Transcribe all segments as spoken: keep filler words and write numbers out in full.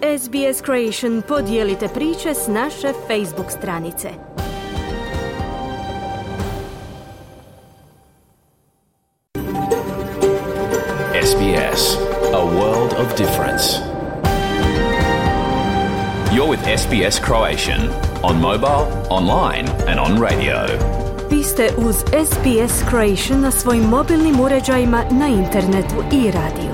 S B S Creation podijelite priče s naše Facebook stranice. S B S, a world of difference. You're with S B S Croatian on mobile, online and on radio. Vi ste uz S B S Creation na svojim mobilnim uređajima, na internetu i radiju.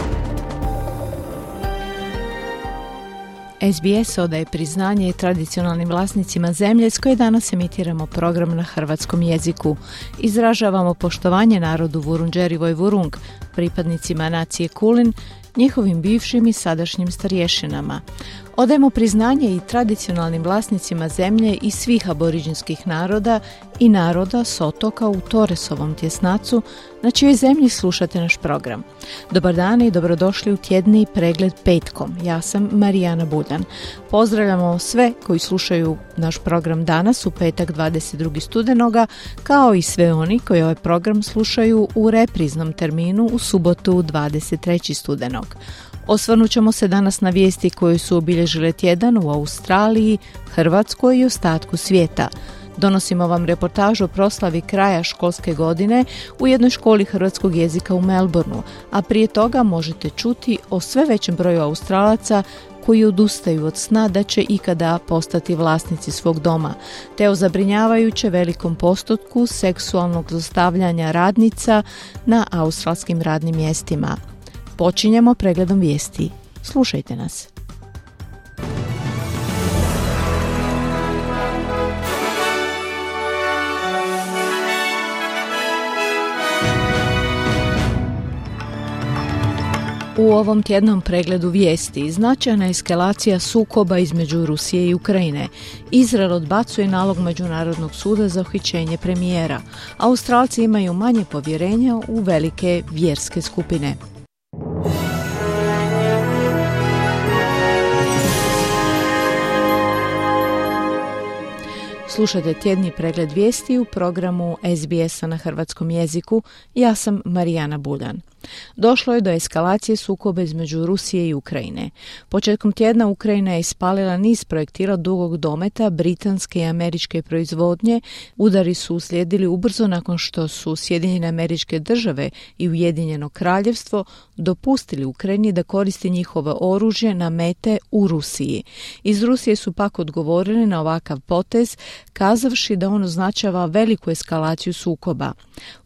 S B S odaje priznanje tradicionalnim vlasnicima zemlje s koje danas emitiramo program na hrvatskom jeziku. Izražavamo poštovanje narodu Vurundjeri Vurung, pripadnicima nacije Kulin, njihovim bivšim i sadašnjim starješinama. Odajemo priznanje i tradicionalnim vlasnicima zemlje i svih aboriđinskih naroda i naroda s otoka u Torresovom tjesnacu, na čijoj zemlji slušate naš program. Dobar dan i dobrodošli u tjedni pregled petkom. Ja sam Marijana Buljan. Pozdravljamo sve koji slušaju naš program danas u petak dvadeset drugog studenoga, kao i sve oni koji ovaj program slušaju u repriznom terminu u subotu dvadeset trećeg studenog. Osvrnut ćemo se danas na vijesti koje su obilježile tjedan u Australiji, Hrvatskoj i ostatku svijeta. Donosimo vam reportažu o proslavi kraja školske godine u jednoj školi hrvatskog jezika u Melbourneu, a prije toga možete čuti o sve većem broju Australaca koji odustaju od sna da će ikada postati vlasnici svog doma, te o zabrinjavajuće velikom postotku seksualnog zlostavljanja radnica na australskim radnim mjestima. Počinjemo pregledom vijesti. Slušajte nas. U ovom tjednom pregledu vijesti značajna eskalacija sukoba između Rusije i Ukrajine. Izrael odbacuje nalog Međunarodnog suda za uhićenje premijera. Australci imaju manje povjerenja u velike vjerske skupine. Slušajte tjedni pregled vijesti u programu S B S-a na hrvatskom jeziku. Ja sam Marijana Buljan. Došlo je do eskalacije sukoba između Rusije i Ukrajine. Početkom tjedna Ukrajina je ispalila niz projektila dugog dometa britanske i američke proizvodnje. Udari su uslijedili ubrzo nakon što su Sjedinjene Američke Države i Ujedinjeno Kraljevstvo dopustili Ukrajini da koristi njihovo oružje na mete u Rusiji. Iz Rusije su pak odgovorili na ovakav potez, kazavši da on označava veliku eskalaciju sukoba.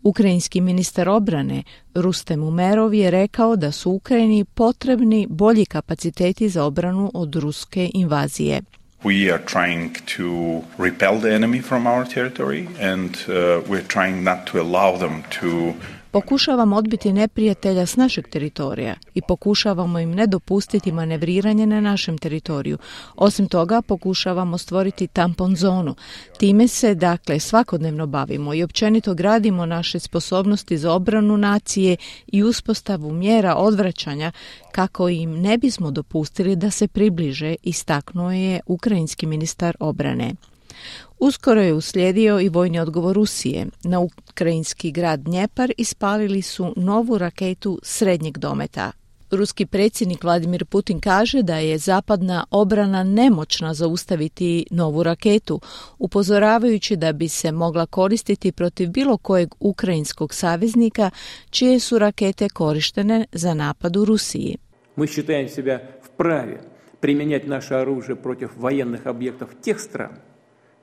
Ukrajinski ministar obrane Rustem Umerov je rekao da su Ukrajini potrebni bolji kapaciteti za obranu od ruske invazije. We are trying to repel the enemy from our territory and uh, we're trying not to allow them to Pokušavamo odbiti neprijatelja s našeg teritorija i pokušavamo im ne dopustiti manevriranje na našem teritoriju. Osim toga, pokušavamo stvoriti tampon zonu. Time se, dakle, svakodnevno bavimo i općenito gradimo naše sposobnosti za obranu nacije i uspostavu mjera odvraćanja kako im ne bismo dopustili da se približe, istaknuo je ukrajinski ministar obrane. Uskoro je uslijedio i vojni odgovor Rusije. Na ukrajinski grad Dnjepar ispalili su novu raketu srednjeg dometa. Ruski predsjednik Vladimir Putin kaže da je zapadna obrana nemoćna zaustaviti novu raketu, upozoravajući da bi se mogla koristiti protiv bilo kojeg ukrajinskog saveznika čije su rakete korištene za napad u Rusiji. Mi считаем себя вправе применять наше оружие против военных объектов тех стран,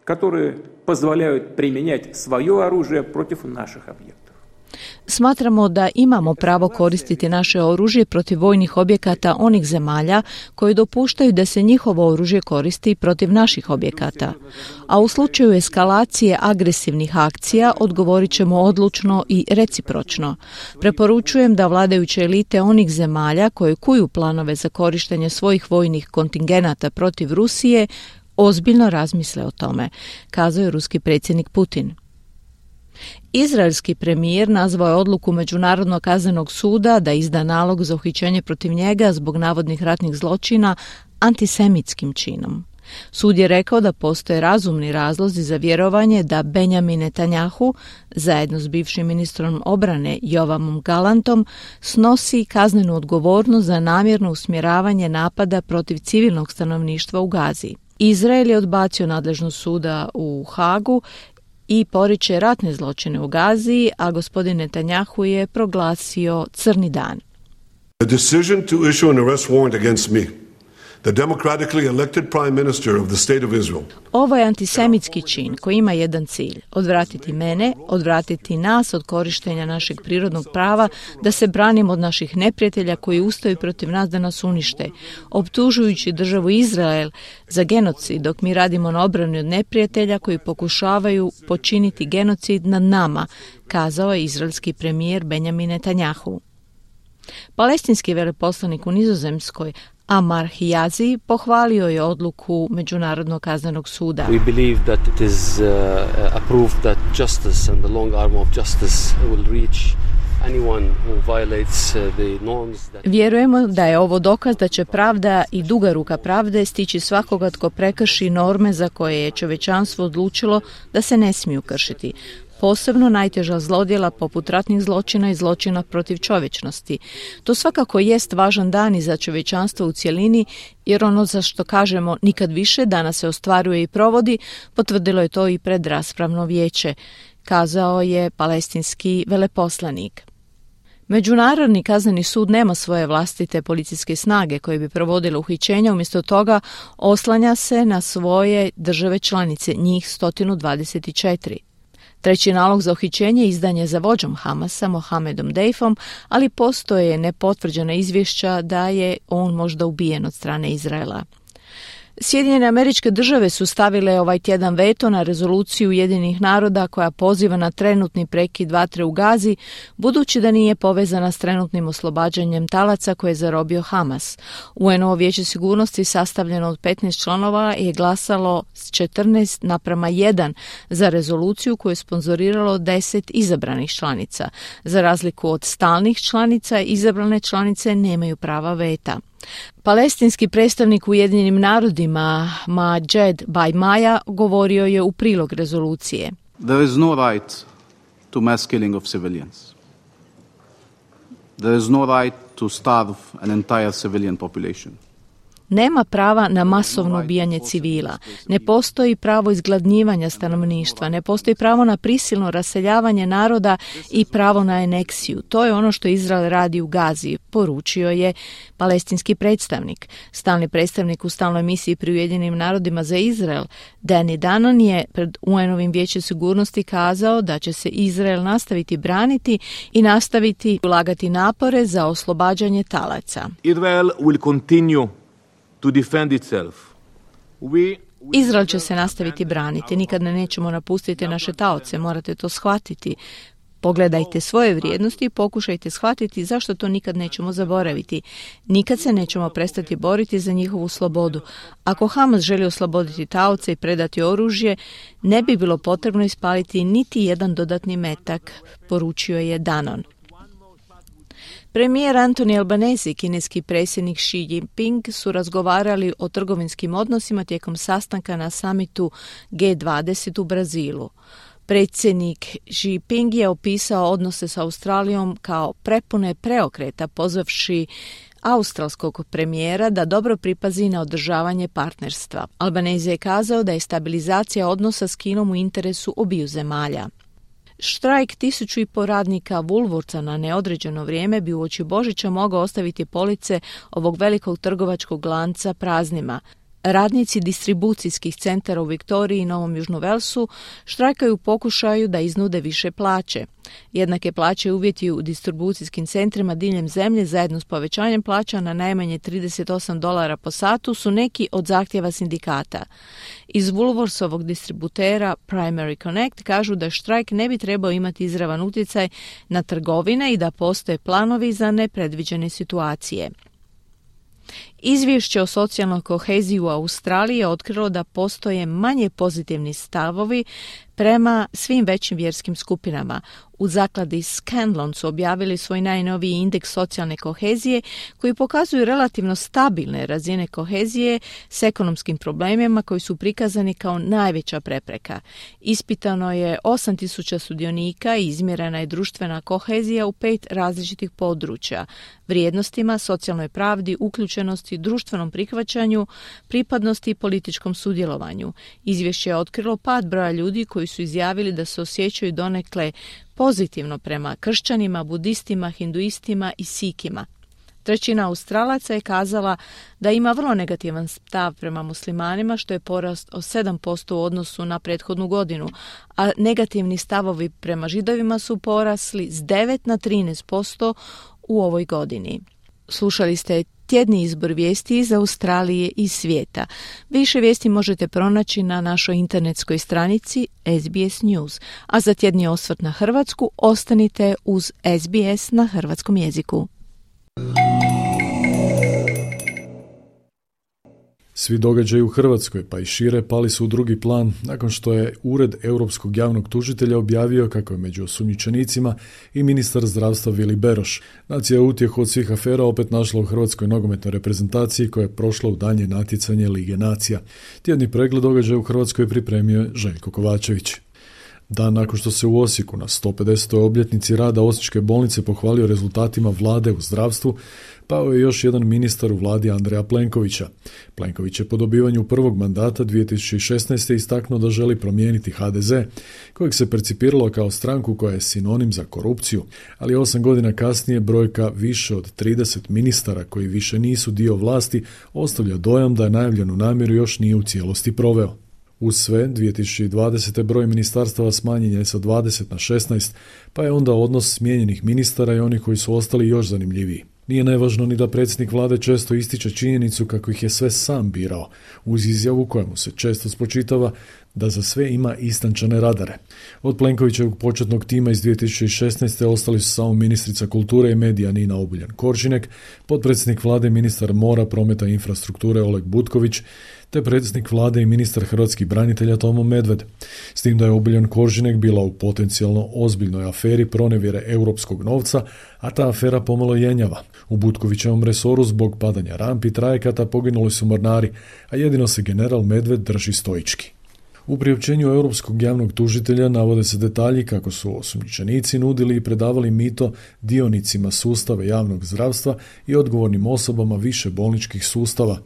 которые позволяют применять свое оружие против наших объектов. Smatramo da imamo pravo koristiti naše oružje protiv vojnih objekata onih zemalja koji dopuštaju da se njihovo oružje koristi protiv naših objekata. A u slučaju eskalacije agresivnih akcija odgovorit ćemo odlučno i recipročno. Preporučujem da vladajuće elite onih zemalja koje kuju planove za korištenje svojih vojnih kontingenata protiv Rusije ozbiljno razmisle o tome, kazao je ruski predsjednik Putin. Izraelski premijer nazvao je odluku Međunarodnog kaznenog suda da izda nalog za uhićenje protiv njega zbog navodnih ratnih zločina antisemitskim činom. Sud je rekao da postoje razumni razlozi za vjerovanje da Benjamin Netanjahu, zajedno s bivšim ministrom obrane Joavom Galantom, snosi kaznenu odgovornost za namjerno usmjeravanje napada protiv civilnog stanovništva u Gazi. Izrael je odbacio nadležnost suda u Hagu i poriče ratne zločine u Gazi, a gospodin Netanjahu je proglasio crni dan. The decision to issue an arrest warrant against me, the democratically elected prime minister of the state of Israel. Ovo je antisemitski čin koji ima jedan cilj: odvratiti mene, odvratiti nas od korištenja našeg prirodnog prava da se branimo od naših neprijatelja koji ustaju protiv nas da nas unište, optužujući državu Izrael za genocid, dok mi radimo na obrani od neprijatelja koji pokušavaju počiniti genocid nad nama, kazao je izraelski premijer Benjamin Netanjahu. Palestinski veleposlanik u Nizozemskoj Amar Hijazi pohvalio je odluku Međunarodnog kaznenog suda. We believe that it is uh, a proof that justice and the long arm of justice will reach anyone who violates the norms that... Vjerujemo da je ovo dokaz da će pravda i duga ruka pravde stići svakoga tko prekrši norme za koje je čovječanstvo odlučilo da se ne smiju kršiti. Posebno najteža zlodjela poput ratnih zločina i zločina protiv čovječnosti. To svakako jest važan dan i za čovječanstvo u cjelini, jer ono za što kažemo nikad više danas se ostvaruje i provodi, potvrdilo je to i predraspravno vijeće, kazao je palestinski veleposlanik. Međunarodni kazneni sud nema svoje vlastite policijske snage koje bi provodile uhićenja, umjesto toga oslanja se na svoje države članice, njih sto dvadeset četiri. Treći nalog za uhićenje izdan je za vođom Hamasa, Mohamedom Deifom, ali postoje nepotvrđena izvješća da je on možda ubijen od strane Izraela. Sjedinjene Američke Države su stavile ovaj tjedan veto na rezoluciju Ujedinjenih naroda koja poziva na trenutni prekid vatre u Gazi, budući da nije povezana s trenutnim oslobađanjem talaca koje je zarobio Hamas. U en o vijeće sigurnosti sastavljeno od petnaest članova je glasalo s četrnaest naprama jedan za rezoluciju koju je sponzoriralo deset izabranih članica. Za razliku od stalnih članica, izabrane članice nemaju prava veta. Palestinski predstavnik u Ujedinjenim narodima Majed Bajmaja govorio je u prilog rezolucije. There is no right to mass killing of civilians. There is no right to starve an entire civilian population. Nema prava na masovno ubijanje civila, ne postoji pravo izgladnjivanja stanovništva, ne postoji pravo na prisilno raseljavanje naroda i pravo na aneksiju. To je ono što Izrael radi u Gazi, poručio je palestinski predstavnik. Stalni predstavnik u stalnoj misiji pri Ujedinjenim narodima za Izrael, Danny Danon, je pred u en-ovim vijećem sigurnosti kazao da će se Izrael nastaviti braniti i nastaviti ulagati napore za oslobađanje talaca. Israel will continue to defend itself. We, we Izrael će se nastaviti braniti, nikad ne nećemo napustiti naše taoce, morate to shvatiti. Pogledajte svoje vrijednosti i pokušajte shvatiti zašto to nikad nećemo zaboraviti. Nikad se nećemo prestati boriti za njihovu slobodu. Ako Hamas želi osloboditi taoce i predati oružje, ne bi bilo potrebno ispaliti niti jedan dodatni metak, poručio je Danon. Premijer Antoni Albanese i kineski predsjednik Xi Jinping su razgovarali o trgovinskim odnosima tijekom sastanka na samitu G dvadeset u Brazilu. Predsjednik Xi Jinping je opisao odnose s Australijom kao prepune preokreta, pozvavši australskog premijera da dobro pripazi na održavanje partnerstva. Albanese je kazao da je stabilizacija odnosa s Kinom u interesu obiju zemalja. Štrajk tisuću i po radnika Woolworthsa na neodređeno vrijeme bi uoči Božića mogao ostaviti police ovog velikog trgovačkog lanca praznima. Radnici distribucijskih centara u Viktoriji i Novom Južnom Velsu štrajkaju u pokušaju da iznude više plaće. Jednake plaće uvjeti u distribucijskim centrima diljem zemlje zajedno s povećanjem plaća na najmanje trideset osam dolara po satu su neki od zahtjeva sindikata. Iz Woolworthsovog distributera Primary Connect kažu da štrajk ne bi trebao imati izravan utjecaj na trgovine i da postoje planovi za nepredviđene situacije. Izvješće o socijalnoj koheziji u Australiji je otkrilo da postoje manje pozitivni stavovi prema svim većim vjerskim skupinama. U zakladi Scanlon su objavili svoj najnoviji indeks socijalne kohezije koji pokazuju relativno stabilne razine kohezije s ekonomskim problemima koji su prikazani kao najveća prepreka. Ispitano je osam tisuća sudionika i izmjerena je društvena kohezija u pet različitih područja: vrijednostima, socijalnoj pravdi, uključenosti, društvenom prihvaćanju, pripadnosti i političkom sudjelovanju. Izvješće je otkrilo pad broja ljudi koji su izjavili da se osjećaju donekle pozitivno prema kršćanima, budistima, hinduistima i sikima. Trećina Australaca je kazala da ima vrlo negativan stav prema muslimanima, što je porast od sedam posto u odnosu na prethodnu godinu, a negativni stavovi prema židovima su porasli s devet na trinaest posto u ovoj godini. Slušali ste tjedni izbor vijesti iz Australije i svijeta. Više vijesti možete pronaći na našoj internetskoj stranici S B S News, a za tjedni osvrt na Hrvatsku ostanite uz S B S na hrvatskom jeziku. Svi događaji u Hrvatskoj, pa i šire, pali su u drugi plan nakon što je Ured Europskog javnog tužitelja objavio kako je među osumnjičenicima i ministar zdravstva Vili Beroš. Nacija je utjehu od svih afera opet našla u hrvatskoj nogometnoj reprezentaciji koja je prošla u daljnje natjecanje Lige nacija. Tjedni pregled događaja u Hrvatskoj pripremio je Željko Kovačević. Dan nakon što se u Osijeku na sto pedesetoj obljetnici rada Osječke bolnice pohvalio rezultatima vlade u zdravstvu, pao je još jedan ministar u vladi Andreja Plenkovića. Plenković je po dobivanju prvog mandata dvije tisuće šesnaeste. istaknuo da želi promijeniti H D Z, kojeg se percipiralo kao stranku koja je sinonim za korupciju, ali osam godina kasnije brojka više od trideset ministara koji više nisu dio vlasti ostavlja dojam da je najavljenu namjeru još nije u cijelosti proveo. Uz sve, dvije tisuće dvadesete. broj ministarstava smanjen je sa dvadeset na šesnaest, pa je onda odnos smijenjenih ministara i onih koji su ostali još zanimljiviji. Nije nevažno ni da predsjednik vlade često ističe činjenicu kako ih je sve sam birao, uz izjavu kojemu se često spočitava da za sve ima istančane radare. Od Plenkovićevog početnog tima iz dvije tisuće šesnaeste. ostali su samo ministrica kulture i medija Nina Obuljen Koržinek, potpredsjednik vlade i ministar mora, prometa i infrastrukture Oleg Butković, te predsjednik vlade i ministar hrvatskih branitelja Tomo Medved. S tim da je Obuljen Koržinek bila u potencijalno ozbiljnoj aferi pronevjere europskog novca, a ta afera pomalo jenjava. U Butkovićevom resoru zbog padanja rampi trajekata poginuli su mornari, a jedino se general Medved drži stoički. U priopćenju europskog javnog tužitelja navode se detalji kako su osumnjičenici nudili i predavali mito dionicima sustava javnog zdravstva i odgovornim osobama više bolničkih sustava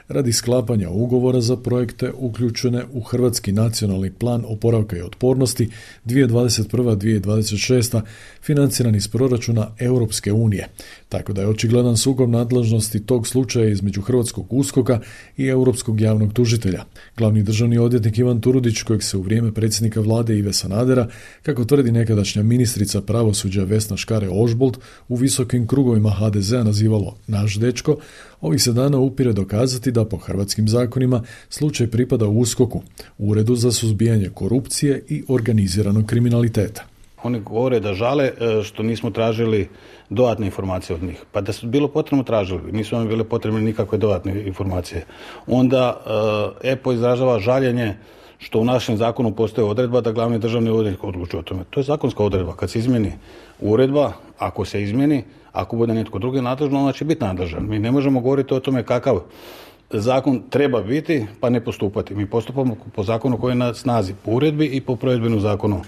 radi sklapanja ugovora za projekte uključene u Hrvatski nacionalni plan oporavka i otpornosti dvije tisuće dvadeset prva do dvije tisuće dvadeset šesta. financiran iz proračuna Europske unije. Tako da je očigledan sukob nadležnosti tog slučaja između Hrvatskog uskoka i Europskog javnog tužitelja. Glavni državni odvjetnik Ivan Turudić, kojeg se u vrijeme predsjednika vlade Ive Sanadera, kako tvrdi nekadašnja ministrica pravosuđa Vesna Škare-Ožbolt, u visokim krugovima H D Z-a nazivalo naš dečko, ovih se dana upire dokazati da po hrvatskim zakonima slučaj pripada uskoku, Uredu za suzbijanje korupcije i organiziranog kriminaliteta. Oni govore da žale što nismo tražili dodatne informacije od njih. Pa da su bilo potrebno tražili, nisu vam bile potrebne nikakve dodatne informacije. Onda E P O izražava žaljenje što u našem zakonu postoji odredba da glavni državni odvjetnik odlučuje o tome. To je zakonska odredba. Kad se izmijeni uredba, ako se izmijeni, ako bude netko drugi nadležan, ona će biti nadležan. Mi ne možemo govoriti o tome kakav zakon treba biti pa ne postupati. Mi postupamo po zakonu koji je na snazi, po uredbi i po provedbenom zakonu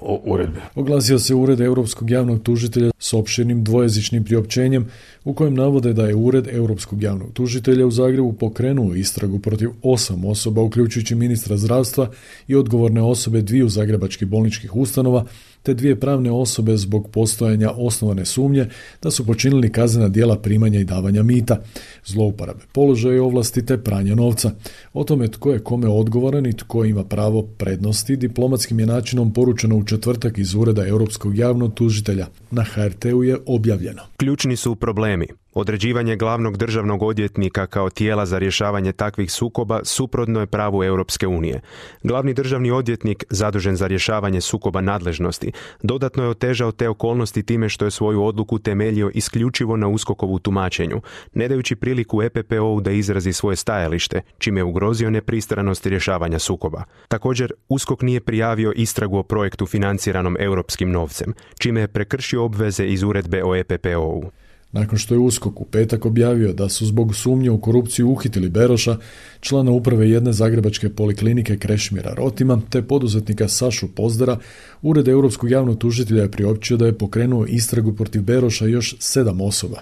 o uredbi. Oglasio se Ured Europskog javnog tužitelja s opširnim dvojezičnim priopćenjem u kojem navode da je Ured Europskog javnog tužitelja u Zagrebu pokrenuo istragu protiv osam osoba, uključujući ministra zdravstva i odgovorne osobe dviju zagrebačkih bolničkih ustanova, te dvije pravne osobe zbog postojanja osnovane sumnje da su počinili kaznena djela primanja i davanja mita, zlouporabe položaja i ovlasti te pranja novca. O tome tko je kome odgovoran i tko ima pravo prednosti diplomatskim je načinom poručeno u četvrtak iz Ureda Europskog javnog tužitelja. Na H R T-u je objavljeno. Ključni su problemi. Određivanje glavnog državnog odvjetnika kao tijela za rješavanje takvih sukoba suprotno je pravu Europske unije. Glavni državni odvjetnik, zadužen za rješavanje sukoba nadležnosti, dodatno je otežao te okolnosti time što je svoju odluku temeljio isključivo na USKOK-ovu tumačenju, ne dajući priliku E P P O-u da izrazi svoje stajalište, čime je ugrozio nepristranost rješavanja sukoba. Također, USKOK nije prijavio istragu o projektu financiranom europskim novcem, čime je prekršio obveze iz uredbe o E P P O-u. Nakon što je USKOK u petak objavio da su zbog sumnje u korupciju uhitili Beroša, člana uprave jedne zagrebačke poliklinike Krešimira Rotima, te poduzetnika Sašu Pozdara, Ured europskog javnog tužitelja je priopćio da je pokrenuo istragu protiv Beroša još sedam osoba.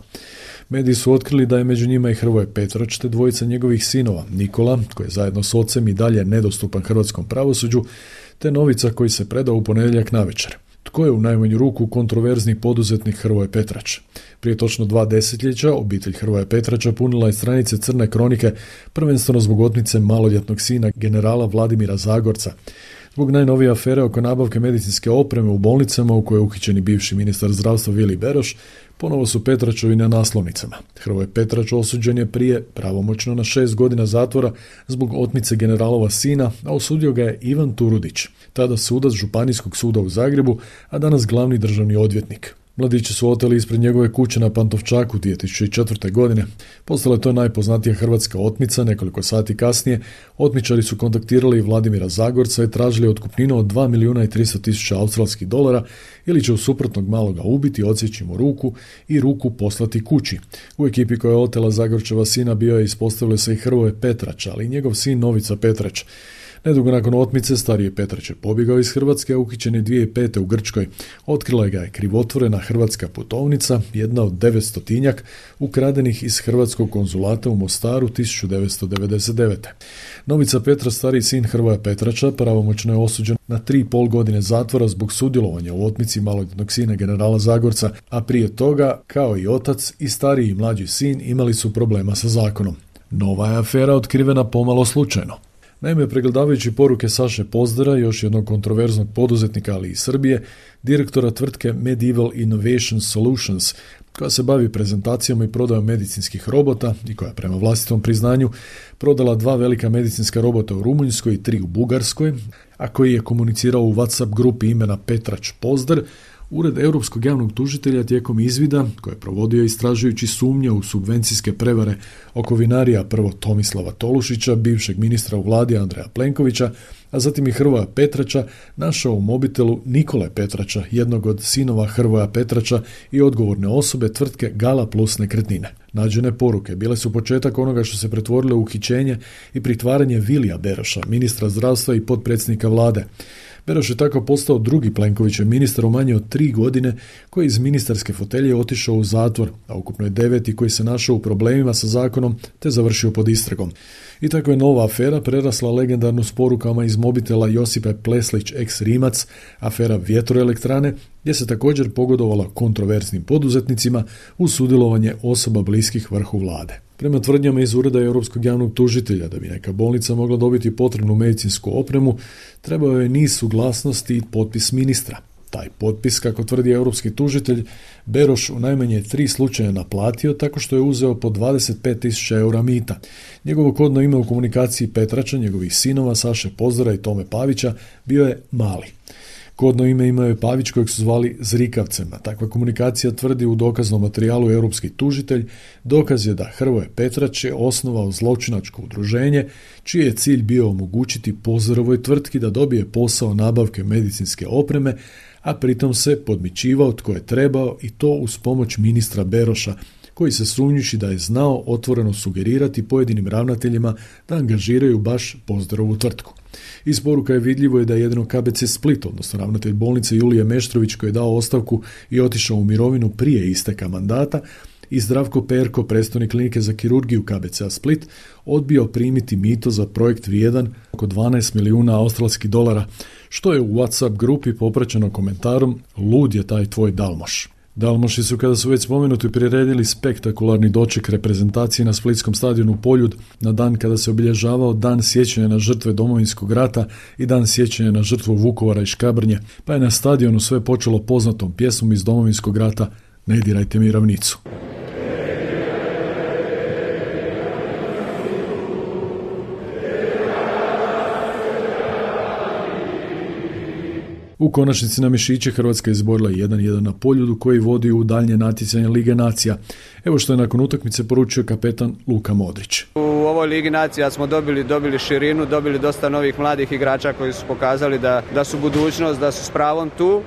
Mediji su otkrili da je među njima i Hrvoje Petrač te dvojica njegovih sinova, Nikola, koji je zajedno s ocem i dalje nedostupan hrvatskom pravosuđu, te Novica koji se predao u ponedjeljak navečer. Tko je u najmanju ruku kontroverzni poduzetnik Hrvoje Petrač? Prije točno dva desetljeća obitelj Hrvoje Petrača punila je stranice Crne kronike, prvenstveno zbog otmice maloljetnog sina generala Vladimira Zagorca. Zbog najnovije afere oko nabavke medicinske opreme u bolnicama u kojoj je uhićeni bivši ministar zdravstva Vili Beroš, ponovo su Petračovi na naslovnicama. Hrvoje Petrač osuđen je prije pravomoćno na šest godina zatvora zbog otmice generalova sina, a osudio ga je Ivan Turudić, tada sudac Županijskog suda u Zagrebu, a danas glavni državni odvjetnik. Mladići su oteli ispred njegove kuće na Pantovčaku dvije tisuće četvrte. godine. Postala je to najpoznatija hrvatska otmica. Nekoliko sati kasnije otmičari su kontaktirali Vladimira Zagorca i tražili otkupninu od dva milijuna i tristo tisuća australskih dolara ili će u suprotnog maloga ubiti, odsjeći mu ruku i ruku poslati kući. U ekipi koja je otela Zagorčeva sina bio je ispostavilo se i Hrvoje Petrač, ali i njegov sin Novica Petrač. Nedugo nakon otmice stariji Petrač je pobjegao iz Hrvatske, a uhićen je dvije tisuće pete. u Grčkoj. Otkrila ga je krivotvorena hrvatska putovnica, jedna od devetstotinjak, ukradenih iz hrvatskog konzulata u Mostaru tisuću devetsto devedeset devete. Novica Petrač, stariji sin Hrvoja Petrača, pravomoćno je osuđen na tri i pol godine zatvora zbog sudjelovanja u otmici maloljetnog sina generala Zagorca, a prije toga, kao i otac, i stariji i mlađi sin imali su problema sa zakonom. Nova je afera otkrivena pomalo slučajno. Naime, pregledavajući poruke Saše Pozdara, još jednog kontroverznog poduzetnika, ali i Srbije, direktora tvrtke Medieval Innovation Solutions, koja se bavi prezentacijama i prodajom medicinskih robota i koja prema vlastitom priznanju prodala dva velika medicinska robota u Rumunjskoj i tri u Bugarskoj, a koji je komunicirao u WhatsApp grupi imena Petrač Pozdar, Ured europskog javnog tužitelja tijekom izvida, koje je provodio istražujući sumnje u subvencijske prevare oko vinarija prvo Tomislava Tolušića, bivšeg ministra u vladi Andreja Plenkovića, a zatim i Hrvoja Petrača, našao u mobitelu Nikole Petrača, jednog od sinova Hrvoja Petrača i odgovorne osobe tvrtke Gala Plus nekretnine. Nađene poruke bile su početak onoga što se pretvorilo u uhićenje i pritvaranje Vilija Beroša, ministra zdravstva i potpredsjednika vlade. Beroš je tako postao drugi Plenkovićev ministar u manje od tri godine koji iz ministarske fotelje otišao u zatvor, a ukupno je deveti koji se našao u problemima sa zakonom te završio pod istragom. I tako je nova afera prerasla legendarnu s porukama iz mobitela Josipe Pleslić ex Rimac, afera vjetroelektrane, gdje se također pogodovala kontroverznim poduzetnicima uz sudjelovanje osoba bliskih vrhu vlade. Prema tvrdnjama iz Ureda europskog javnog tužitelja, da bi neka bolnica mogla dobiti potrebnu medicinsku opremu, trebao je niz suglasnosti i potpis ministra. Taj potpis, kako tvrdi europski tužitelj, Beroš u najmanje tri slučaja naplatio tako što je uzeo po dvadeset pet tisuća eura mita. Njegovo kodno ime u komunikaciji Petrača, njegovih sinova Saše Pozdara i Tome Pavića bio je Mali. Kodno ime imao je Pavić kojeg su zvali Zrikavcem, a takva komunikacija tvrdi u dokaznom materijalu europski tužitelj. Dokaz je da Hrvoje Petrač je osnovao zločinačko udruženje čiji je cilj bio omogućiti Pozdarovoj tvrtki da dobije posao nabavke medicinske opreme, a pritom se podmićivao tko je trebao i to uz pomoć ministra Beroša, koji se sumnjiči da je znao otvoreno sugerirati pojedinim ravnateljima da angažiraju baš Pozdarovu tvrtku. Iz poruka je vidljivo je da je jedino K B C Split, odnosno ravnatelj bolnice Julije Meštrović, koji je dao ostavku i otišao u mirovinu prije isteka mandata, i Zdravko Perko, predstojnik klinike za kirurgiju K B C Split, odbio primiti mito za projekt vrijedan oko dvanaest milijuna australskih dolara, što je u WhatsApp grupi popraćeno komentarom "Lud je taj tvoj Dalmoš". Dalmoši su, kada su već spomenuti, priredili spektakularni doček reprezentacije na splitskom stadionu Poljud na dan kada se obilježavao Dan sjećanja na žrtve Domovinskog rata i Dan sjećanja na žrtvu Vukovara i Škabrnje, pa je na stadionu sve počelo poznatom pjesmom iz Domovinskog rata "Ne dirajte mi ravnicu". U konačnici na mišiće Hrvatska je izborila jedan jedan na Poljudu koji vodi u daljnje natjecanje Lige nacija. Evo što je nakon utakmice poručio kapetan Luka Modrić. U ovoj Ligi nacija smo dobili, dobili širinu, dobili dosta novih mladih igrača koji su pokazali da, da su budućnost, da su s pravom tu.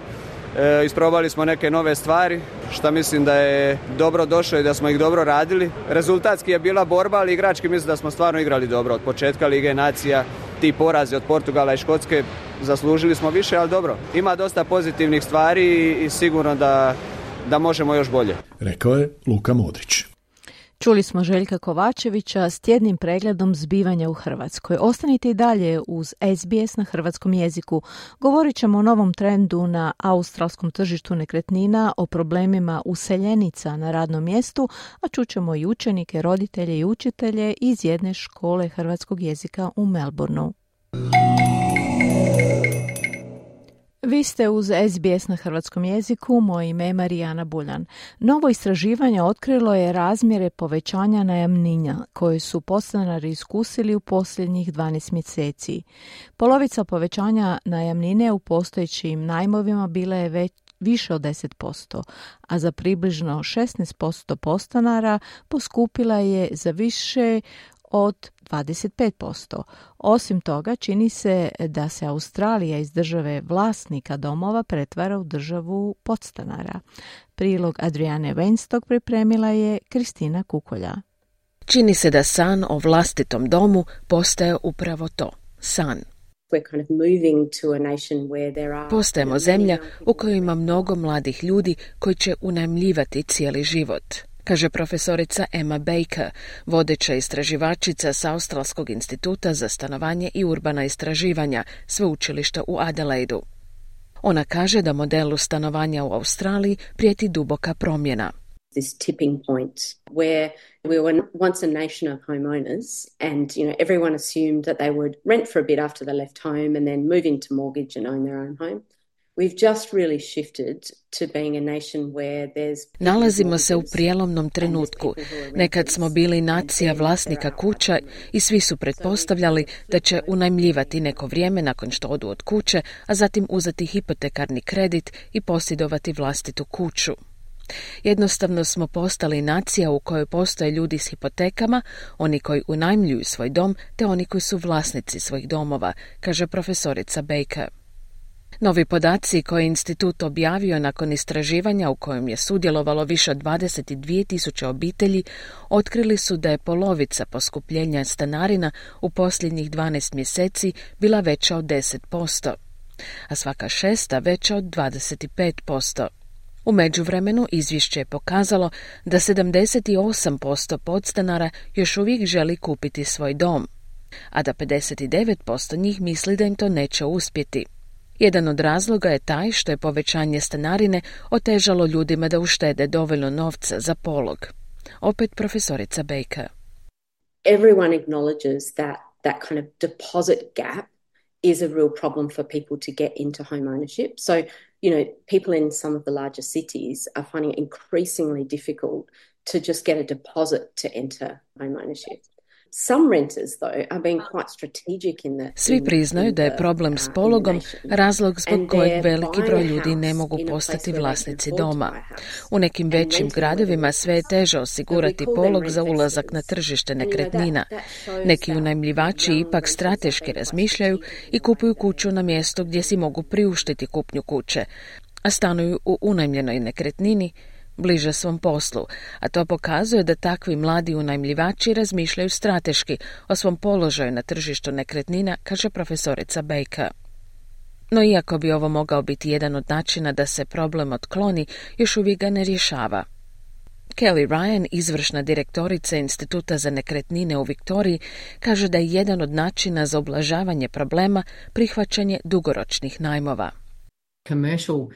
E, isprobali smo neke nove stvari, što mislim da je dobro došlo i da smo ih dobro radili. Rezultatski je bila borba, ali igrački mislim da smo stvarno igrali dobro. Od početka Lige nacija, ti porazi od Portugala i Škotske, zaslužili smo više, ali dobro. Ima dosta pozitivnih stvari i sigurno da, da možemo još bolje. Rekao je Luka Modrić. Čuli smo Željka Kovačevića s tjednim pregledom zbivanja u Hrvatskoj. Ostanite i dalje uz S B S na hrvatskom jeziku. Govorit ćemo o novom trendu na australskom tržištu nekretnina, o problemima useljenica na radnom mjestu, a čućemo i učenike, roditelje i učitelje iz jedne škole hrvatskog jezika u Melbourneu. Vi ste uz S B S na hrvatskom jeziku, moje ime je Marijana Buljan. Novo istraživanje otkrilo je razmjere povećanja najamnina koje su podstanari iskusili u posljednjih dvanaest mjeseci. Polovica povećanja najamnine u postojećim najmovima bila je već više od deset posto, a za približno šesnaest posto podstanara poskupila je za više od dvadeset pet posto. Osim toga, čini se da se Australija iz države vlasnika domova pretvara u državu podstanara. Prilog Adriane Weinstock pripremila je Kristina Kukolja. Čini se da san o vlastitom domu postaje upravo to, san. Postajemo zemlja u kojoj ima mnogo mladih ljudi koji će unajmljivati cijeli život, kaže profesorica Emma Baker, vodeća istraživačica s Australskog instituta za stanovanje i urbana istraživanja, sveučilišta u Adelaidu. Ona kaže da modelu stanovanja u Australiji prijeti duboka promjena. This tipping point where we were once a nation of homeowners and, you know, everyone assumed that they would rent for a bit after they left home and then move into mortgage and own their own home. We've just really shifted to being a nation where there's... Nalazimo se u prijelomnom trenutku. Nekad smo bili nacija vlasnika kuća i svi su pretpostavljali da će unajmljivati neko vrijeme nakon što odu od kuće, a zatim uzeti hipotekarni kredit i posjedovati vlastitu kuću. Jednostavno smo postali nacija u kojoj postoje ljudi s hipotekama, oni koji unajmljuju svoj dom, te oni koji su vlasnici svojih domova, kaže profesorica Baker. Novi podaci koje je institut objavio nakon istraživanja u kojem je sudjelovalo više od dvadeset dvije tisuće obitelji otkrili su da je polovica poskupljenja stanarina u posljednjih dvanaest mjeseci bila veća od deset posto, a svaka šesta veća od dvadeset pet posto. U međuvremenu izvješće je pokazalo da sedamdeset osam posto podstanara još uvijek želi kupiti svoj dom, a da pedeset devet posto njih misli da im to neće uspjeti. Jedan od razloga je taj što je povećanje stanarine otežalo ljudima da uštede dovoljno novca za polog. Opet profesorica Baker. Everyone acknowledges that that kind of deposit gap is a real problem for people to get into home ownership. So, you know, people in some of the larger cities are finding it increasingly difficult to just get a deposit to enter home ownership. Some renters, though, are being quite strategic in the... Svi priznaju da je problem s pologom razlog zbog kojeg veliki broj ljudi ne mogu postati vlasnici doma. U nekim većim gradovima sve je teže osigurati polog za ulazak na tržište nekretnina. Neki unajmljivači ipak strateški razmišljaju i kupuju kuću na mjesto gdje si mogu priuštiti kupnju kuće, a stanuju u unajmljenoj nekretnini bliže svom poslu, a to pokazuje da takvi mladi unajmljivači razmišljaju strateški o svom položaju na tržištu nekretnina, kaže profesorica Baker. No iako bi ovo mogao biti jedan od načina da se problem otkloni, još uvijek ga ne rješava. Kelly Ryan, izvršna direktorica Instituta za nekretnine u Viktoriji, kaže da je jedan od načina za ublažavanje problema prihvaćanje dugoročnih najmova. Commercial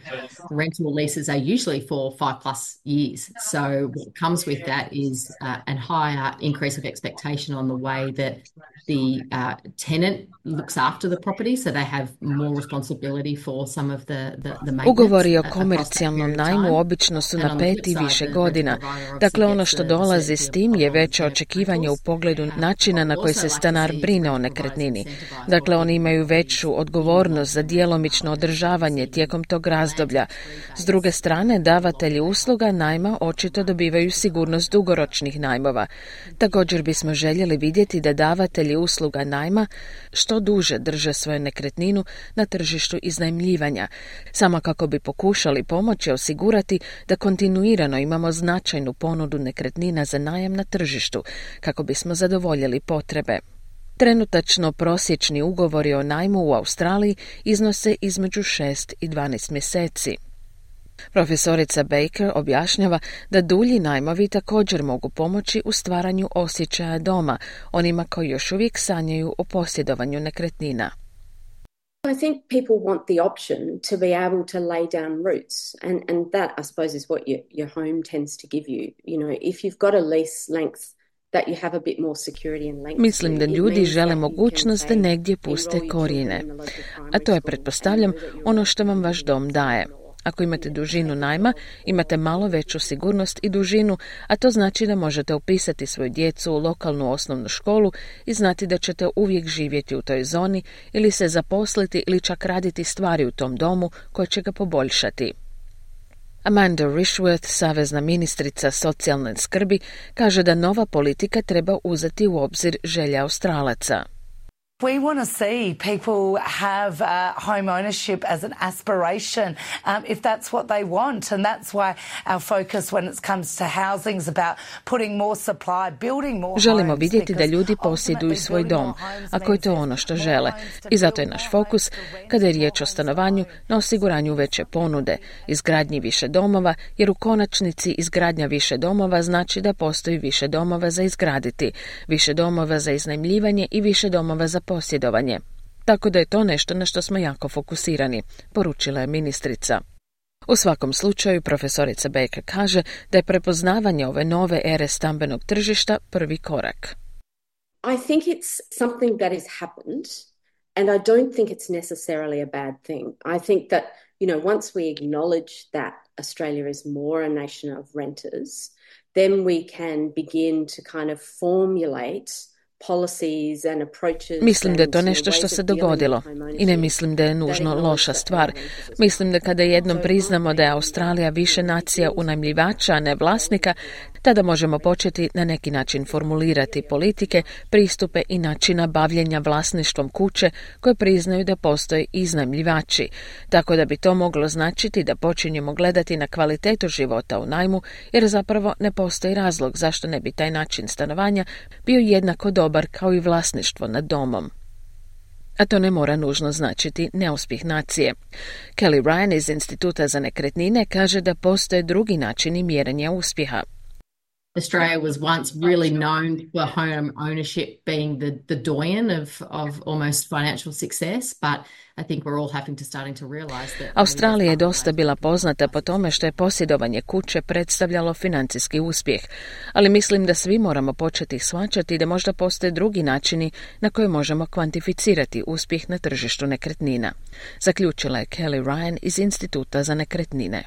rental leases are usually for five plus years. So what comes with that is uh, a higher increase of expectation on the way that the uh, tenant looks after the property, so they have more responsibility for some of the, the, the maintenance. Ugovori o komercijalnom najmu obično su na pet i više godina. Dakle, ono što dolazi s tim je veće očekivanje u pogledu načina na koji se stanar brine o nekretnini. Dakle, oni imaju veću odgovornost za djelomično održavanje tijekom tog razdoblja. S druge strane, davatelji usluga najma očito dobivaju sigurnost dugoročnih najmova. Također bismo željeli vidjeti da davatelji usluga najma što duže drže svoju nekretninu na tržištu iznajmljivanja, samo kako bi pokušali pomoći osigurati da kontinuirano imamo značajnu ponudu nekretnina za najam na tržištu, kako bismo zadovoljili potrebe. Trenutačno prosječni ugovori o najmu u Australiji iznose između šest i dvanaest mjeseci. Profesorica Baker objašnjava da dulji najmovi također mogu pomoći u stvaranju osjećaja doma onima koji još uvijek sanjaju o posjedovanju nekretnina. I think people want the option to be able to lay down roots, and, and that, I suppose, is what your, your home tends to give you. You know, if you've got a lease length that you have a bit more security and length. Mislim da ljudi žele mogućnost da negdje puste korijene, a to je, pretpostavljam, ono što vam vaš dom daje. Ako imate dužinu najma, imate malo veću sigurnost i dužinu, a to znači da možete upisati svoju djecu u lokalnu osnovnu školu i znati da ćete uvijek živjeti u toj zoni ili se zaposliti ili čak raditi stvari u tom domu koje će ga poboljšati. Amanda Rishworth, savezna ministrica socijalne skrbi, kaže da nova politika treba uzeti u obzir želje Australaca. We want to see people have uh, home ownership as an aspiration, um, if that's what they want, and that's why our focus when it comes to housing is about putting more supply, building more. Želimo vidjeti da ljudi posjeduju svoj dom, ako je to ono što žele. I zato je naš fokus, kada je riječ o stanovanju, na osiguranju veće ponude, izgradnji više domova, jer u konačnici izgradnja više domova znači da postoji više domova za izgraditi, više domova za iznajmljivanje i više domova za posjedovanje. Tako da je to nešto na što smo jako fokusirani, poručila je ministrica. U svakom slučaju, profesorica Baker kaže da je prepoznavanje ove nove ere stambenog tržišta prvi korak. I think it's something that has happened, and I don't think it's necessarily a bad thing. I think that, you know, once we acknowledge that Australia is more a nation of renters, then we can begin to kind of formulate Mislim da je to nešto što se dogodilo i ne mislim da je nužno loša stvar. Mislim da kada jednom priznamo da je Australija više nacija unajmljivača, a ne vlasnika, tada možemo početi na neki način formulirati politike, pristupe i načina bavljenja vlasništvom kuće koje priznaju da postoje iznajmljivači. Tako da bi to moglo značiti da počinjemo gledati na kvalitetu života u najmu, jer zapravo ne postoji razlog zašto ne bi taj način stanovanja bio jednako dobar kao i vlasništvo nad domom. A to ne mora nužno značiti neuspjeh nacije. Kelly Ryan iz Instituta za nekretnine kaže da postoje drugi načini mjerenja uspjeha. Australia was once really known for home ownership being the, the doyen of, of almost financial success, but I think we're all having to starting to realize that Australija je dosta bila poznata po tome što je posjedovanje kuće predstavljalo financijski uspjeh, ali mislim da svi moramo početi shvaćati da možda postoje drugi načini na koje možemo kvantificirati uspjeh na tržištu nekretnina. Zaključila je Kelly Ryan iz Instituta za nekretnine.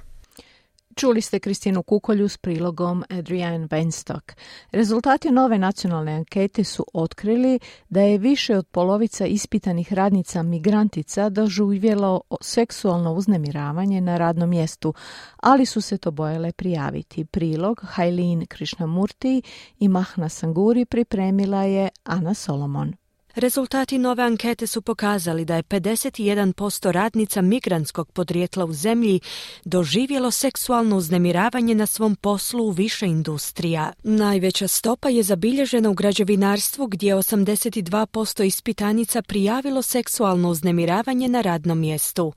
Čuli ste Kristinu Kukolju s prilogom Adrienne Benstock. Rezultati nove nacionalne ankete su otkrili da je više od polovica ispitanih radnica migrantica doživjelo seksualno uznemiravanje na radnom mjestu, ali su se to bojale prijaviti. Prilog Hailin Krishnamurti i Mahna Sanguri pripremila je Ana Solomon. Rezultati nove ankete su pokazali da je pedeset jedan posto radnica migrantskog podrijetla u zemlji doživjelo seksualno uznemiravanje na svom poslu u više industrija. Najveća stopa je zabilježena u građevinarstvu gdje je osamdeset dva posto ispitanica prijavilo seksualno uznemiravanje na radnom mjestu.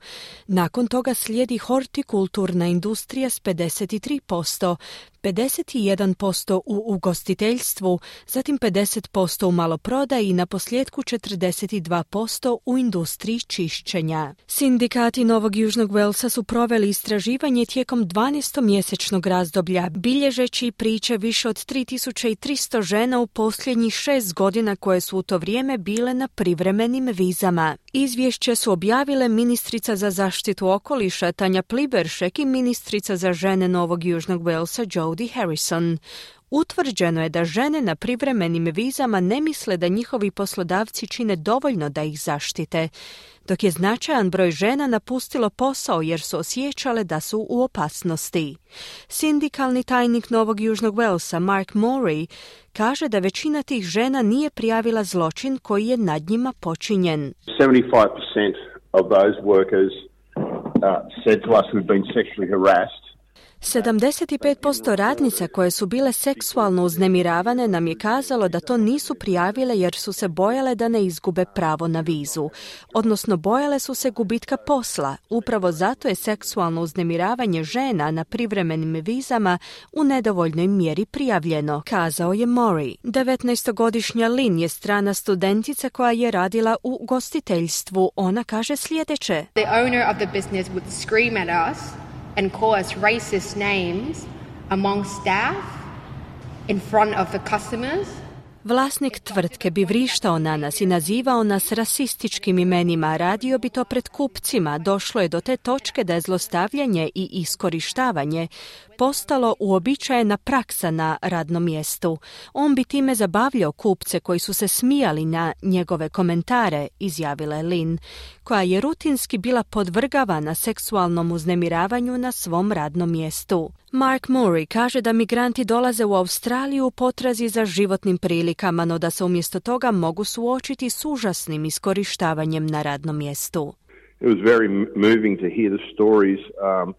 Nakon toga slijedi hortikulturna industrija s pedeset tri posto, pedeset jedan posto u ugostiteljstvu, zatim pedeset posto u maloprodaji i na posljedku postotku četrdeset dva posto u industriji čišćenja. Sindikati Novog Južnog Walesa su proveli istraživanje tijekom dvanaestomjesečnog razdoblja, bilježeći priče više od tri tisuće tristo žena u posljednjih šest godina koje su u to vrijeme bile na privremenim vizama. Izvješće su objavile ministrica za zaštitu okoliša Tanja Pliberšek i ministrica za žene Novog Južnog Walesa Jodi Harrison. Utvrđeno je da žene na privremenim vizama ne misle da njihovi poslodavci čine dovoljno da ih zaštite, dok je značajan broj žena napustilo posao jer su osjećale da su u opasnosti. Sindikalni tajnik Novog Južnog Walesa Mark Morey kaže da većina tih žena nije prijavila zločin koji je nad njima počinjen. seventy-five percent of those workers uh, said to us we've been sexually harassed. sedamdeset pet posto radnica koje su bile seksualno uznemiravane nam je kazalo da to nisu prijavile jer su se bojale da ne izgube pravo na vizu. Odnosno bojale su se gubitka posla. Upravo zato je seksualno uznemiravanje žena na privremenim vizama u nedovoljnoj mjeri prijavljeno, kazao je Morey. devetnaestogodišnja Lynn je strana studentica koja je radila u gostiteljstvu. Ona kaže sljedeće. The owner of the business would scream at us and call us racist names among staff in front of the customers. Vlasnik tvrtke bi vrištao na nas i nazivao nas rasističkim imenima, radio bi to pred kupcima. Došlo je do te točke da je zlostavljanje i iskorištavanje postalo uobičajena praksa na radnom mjestu. On bi time zabavljao kupce koji su se smijali na njegove komentare, izjavila je Lynn, koja je rutinski bila podvrgavana seksualnom uznemiravanju na svom radnom mjestu. Mark Morey kaže da migranti dolaze u Australiju u potrazi za životnim prilikama, no da se umjesto toga mogu suočiti s užasnim iskorištavanjem na radnom mjestu. It was very moving to hear the stories um,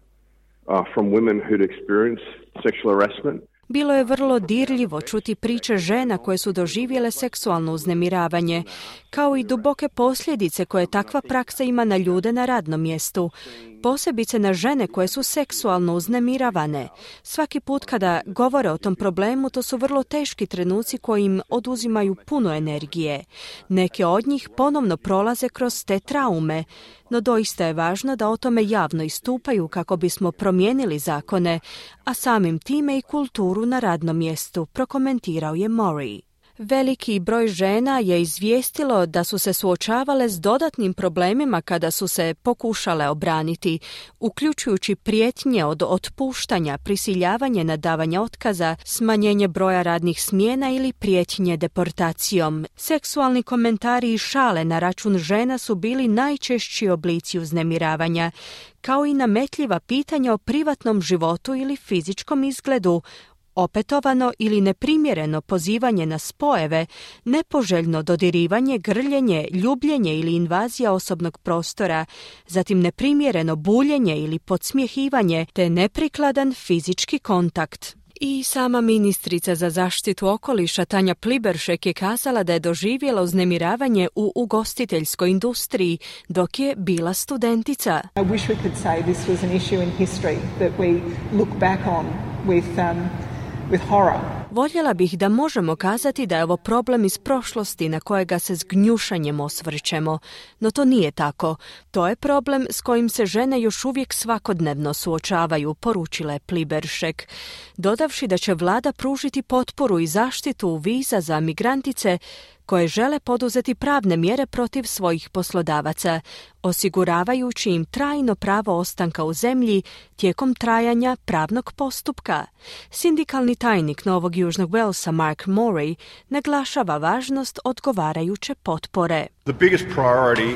uh, from women who'd experienced sexual harassment. Bilo je vrlo dirljivo čuti priče žena koje su doživjele seksualno uznemiravanje, kao i duboke posljedice koje takva praksa ima na ljude na radnom mjestu, posebice na žene koje su seksualno uznemiravane. Svaki put kada govore o tom problemu, to su vrlo teški trenuci koji im oduzimaju puno energije. Neke od njih ponovno prolaze kroz te traume, no doista je važno da o tome javno istupaju kako bismo promijenili zakone, a samim time i kulturu na radnom mjestu, prokomentirao je Morey. Veliki broj žena je izvijestilo da su se suočavale s dodatnim problemima kada su se pokušale obraniti, uključujući prijetnje od otpuštanja, prisiljavanje na davanje otkaza, smanjenje broja radnih smjena ili prijetnje deportacijom. Seksualni komentari i šale na račun žena su bili najčešći oblici uznemiravanja, kao i nametljiva pitanja o privatnom životu ili fizičkom izgledu, opetovano ili neprimjereno pozivanje na spojeve, nepoželjno dodirivanje, grljenje, ljubljenje ili invazija osobnog prostora, zatim neprimjereno buljenje ili podsmjehivanje te neprikladan fizički kontakt. I sama ministrica za zaštitu okoliša Tanja Pliberšek je kazala da je doživjela uznemiravanje u ugostiteljskoj industriji dok je bila studentica. I wish we could say this was an issue in history that we look back on with um, with horror. Voljela bih da možemo kazati da je ovo problem iz prošlosti na kojega se s gnjušanjem osvrćemo, no to nije tako. To je problem s kojim se žene još uvijek svakodnevno suočavaju, poručila je Pliberšek, dodavši da će vlada pružiti potporu i zaštitu viza za migrantice koje žele poduzeti pravne mjere protiv svojih poslodavaca, osiguravajući im trajno pravo ostanka u zemlji tijekom trajanja pravnog postupka. Sindikalni tajnik Novog Južnog Walesa Mark Morey naglašava važnost odgovarajuće potpore. The biggest priority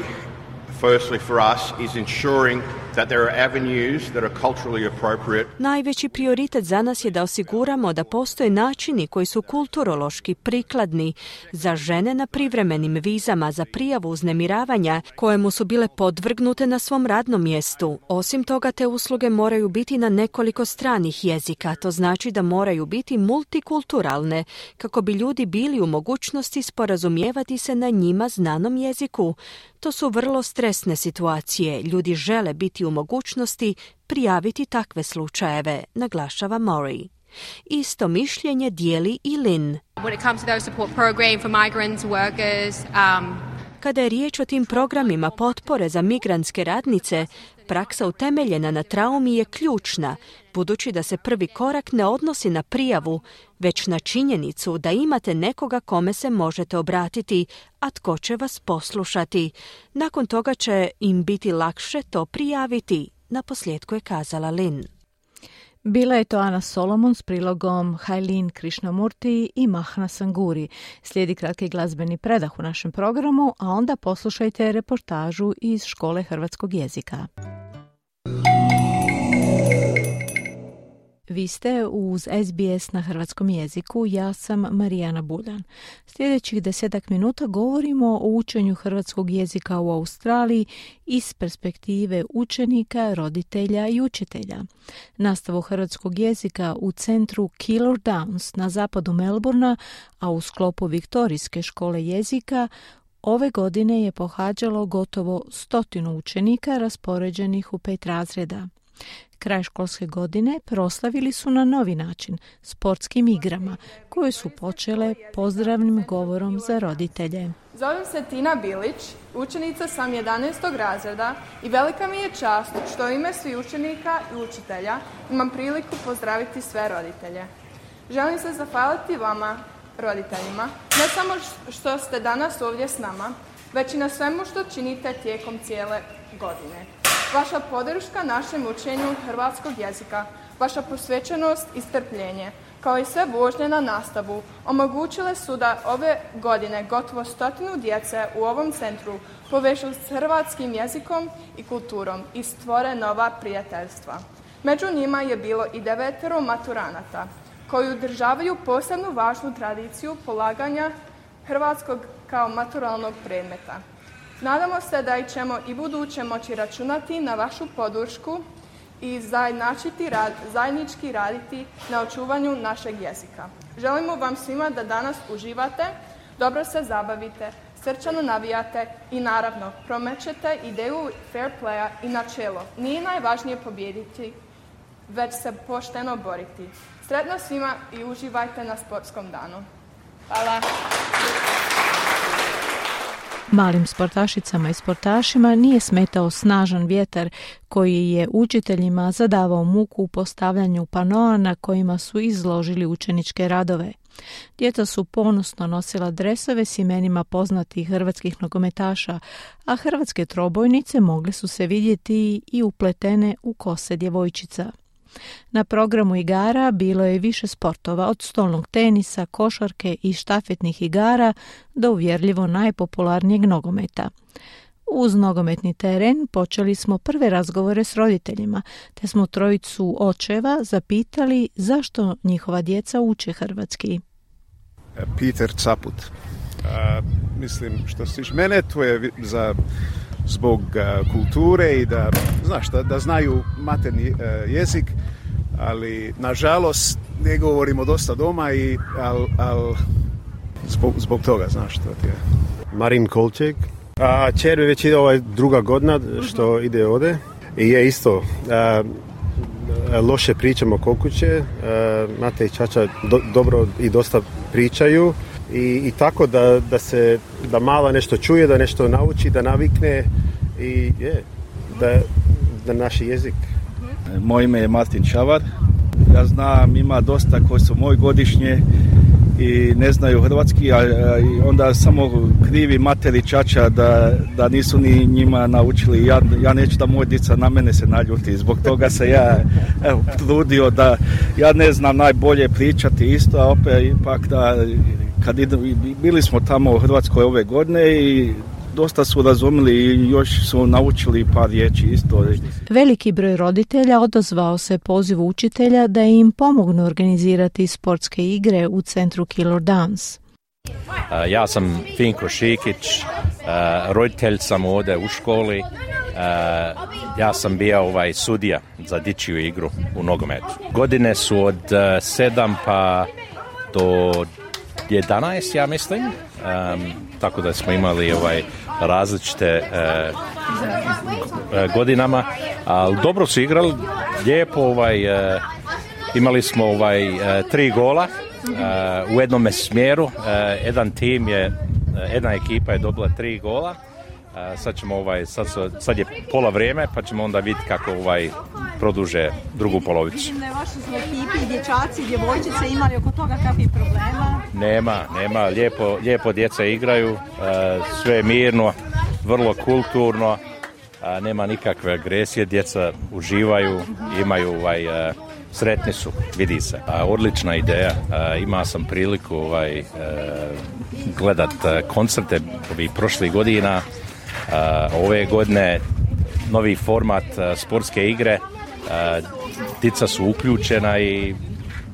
firstly for us is ensuring that there are avenues that are culturally appropriate. Najveći prioritet za nas je da osiguramo da postoje načini koji su kulturološki prikladni za žene na privremenim vizama za prijavu uznemiravanja kojemu su bile podvrgnute na svom radnom mjestu. Osim toga, te usluge moraju biti na nekoliko stranih jezika, to znači da moraju biti multikulturalne kako bi ljudi bili u mogućnosti sporazumijevati se na njima znanom jeziku. To su vrlo stresne situacije. Ljudi žele biti u mogućnosti prijaviti takve slučajeve, naglašava Morey. Isto mišljenje dijeli i Lynn. When it comes to those support program for migrants, workers, um... Kada je riječ o tim programima potpore za migrantske radnice, praksa utemeljena na traumi je ključna, budući da se prvi korak ne odnosi na prijavu, već na činjenicu da imate nekoga kome se možete obratiti, a tko će vas poslušati. Nakon toga će im biti lakše to prijaviti, naposljetku je kazala Lynn. Bila je to Ana Solomon s prilogom Hailin Krishnamurti i Mahna Sanguri. Slijedi kratki glazbeni predah u našem programu, a onda poslušajte reportažu iz Škole hrvatskog jezika. Vi ste uz S B S na hrvatskom jeziku, ja sam Marijana Buljan. Sljedećih desetak minuta govorimo o učenju hrvatskog jezika u Australiji iz perspektive učenika, roditelja i učitelja. Nastavu hrvatskog jezika u centru Keilor Downs na zapadu Melbourna, a u sklopu Viktorijske škole jezika, ove godine je pohađalo gotovo stotinu učenika raspoređenih u pet razreda. Kraj školske godine proslavili su na novi način, sportskim igrama, koje su počele pozdravnim govorom za roditelje. Zovem se Tina Bilić, učenica sam jedanaestog razreda i velika mi je čast što u ime svih učenika i učitelja imam priliku pozdraviti sve roditelje. Želim se zahvaliti vama, roditeljima, ne samo što ste danas ovdje s nama, već i na svemu što činite tijekom cijele godine. Vaša podrška našem učenju hrvatskog jezika, vaša posvećenost i strpljenje, kao i sve vožnje na nastavu, omogućile su da ove godine gotovo stotinu djece u ovom centru povežu s hrvatskim jezikom i kulturom i stvore nova prijateljstva. Među njima je bilo i devetero maturanata, koji održavaju posebnu važnu tradiciju polaganja hrvatskog kao maturalnog predmeta. Nadamo se da ćemo i buduće moći računati na vašu podršku i rad, zajednički raditi na očuvanju našeg jezika. Želimo vam svima da danas uživate, dobro se zabavite, srčano navijate i naravno promećete ideju fair playa i načelo. Nije najvažnije pobijediti, već se pošteno boriti. Sretno svima i uživajte na sportskom danu. Hvala. Malim sportašicama i sportašima nije smetao snažan vjetar koji je učiteljima zadavao muku u postavljanju panoa na kojima su izložili učeničke radove. Djeca su ponosno nosila dresove s imenima poznatih hrvatskih nogometaša, a hrvatske trobojnice mogle su se vidjeti i upletene u kose djevojčica. Na programu igara bilo je više sportova, od stolnog tenisa, košarke i štafetnih igara do uvjerljivo najpopularnijeg nogometa. Uz nogometni teren počeli smo prve razgovore s roditeljima, te smo trojicu očeva zapitali zašto njihova djeca uče hrvatski. Peter Caput. A, mislim, što se tiče mene, to je za, zbog a, kulture i da, znaš, da, da znaju materni a, jezik, ali nažalost ne govorimo dosta doma, i, al, al, zbog, zbog toga, znaš što ti je. Marin Kolček. A čer već ide ovaj druga godina što ide ovdje i je isto a, loše pričamo kod kuće, Mate i Čača do, dobro i dosta pričaju i, i tako da, da se da malo nešto čuje, da nešto nauči, da navikne i je, da, da naš jezik. Moje ime je Martin Čavar. Ja znam, ima dosta koji su moj godišnje i ne znaju hrvatski, a, a onda samo krivi materi Čača da, da nisu ni njima naučili. Ja, ja neću da moj djeca na mene se naljuti. Zbog toga se ja evo, trudio da ja ne znam najbolje pričati isto, a opet ipak da kad ide, bili smo tamo u Hrvatskoj ove godine i dosta su razumjeli i još su naučili par riječi isto. Veliki broj roditelja odazvao se pozivu učitelja da im pomognu organizirati sportske igre u centru Keilor Downs. Uh, ja sam Finko Šikić, uh, roditelj sam ovdje u školi. Uh, ja sam bio ovaj sudija za dječju igru u nogometu. Godine su od uh, sedam pa do jedanaest, ja mislim. Um, tako da smo imali ovaj različite uh, uh, godinama, ali dobro su igrali, lijepo ovaj, uh, Imali smo ovaj, tri gola u jednom smjeru. Jedan tim je, jedna ekipa je dobila tri gola. Sad ćemo ovaj, sad, sad je pola vrijeme, pa ćemo onda vidjeti kako ovaj produže drugu polovicu. Vidim da je vaši su ekipi, dječaci, djevojčice imali oko toga kakvih problema? Nema, nema, lijepo, lijepo djeca igraju, sve je mirno, vrlo kulturno, nema nikakve agresije, djeca uživaju, imaju ovaj, sretni su, vidi se. Odlična ideja, imao sam priliku ovaj, gledat koncerte ovih prošlih godina. Uh, ove godine novi format uh, sportske igre, uh, djeca su uključena i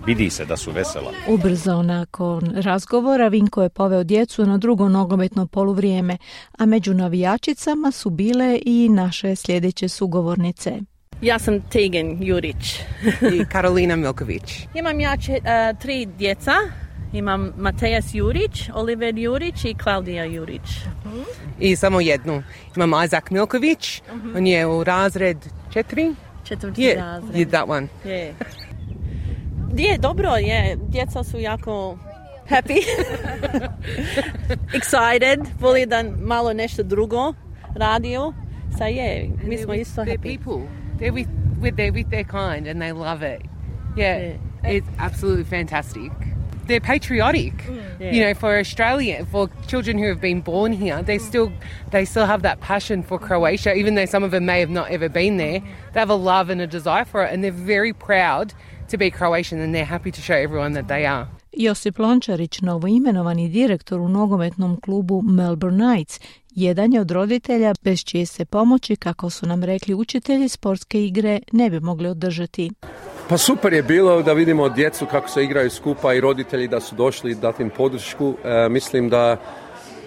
vidi se da su vesela. Ubrzo nakon razgovora Vinko je poveo djecu na drugo nogometno poluvrijeme, a među navijačicama su bile i naše sljedeće sugovornice. Ja sam Tegan Jurić. I Karolina Milković. Imam ja če, uh, tri djeca. Imam Matejas Jurić, Oliver Jurić i Klaudija Jurić. Uh-huh. I samo jednu. Imam Isaac Milković. Uh-huh. On je u razred četiri. Četvrti yeah. razred. Yeah, that one. Je. Je, dobro je. Djeca su jako happy. Excited. Voli da malo nešto drugo radio. Sa je, mi smo isto happy. They're people. They're with, with, they're with their kind and they love it. Yeah, yeah. It's absolutely fantastic. They're patriotic, mm, yeah. you know, for Australia, for children who have been born here. They still, they still have that passion for Croatia, even though some of them may have not ever been there. They have a love and a desire for it, and they're very proud to be Croatian, and they're happy to show everyone that they are. Josip Lončarić, novoimenovani direktor u nogometnom klubu Melbourne Knights, jedan je od roditelja bez čije se pomoći, kako su nam rekli učitelji, sportske igre ne bi mogli održati. Pa super je bilo da vidimo djecu kako se igraju skupa i roditelji da su došli dati im podršku. E, mislim da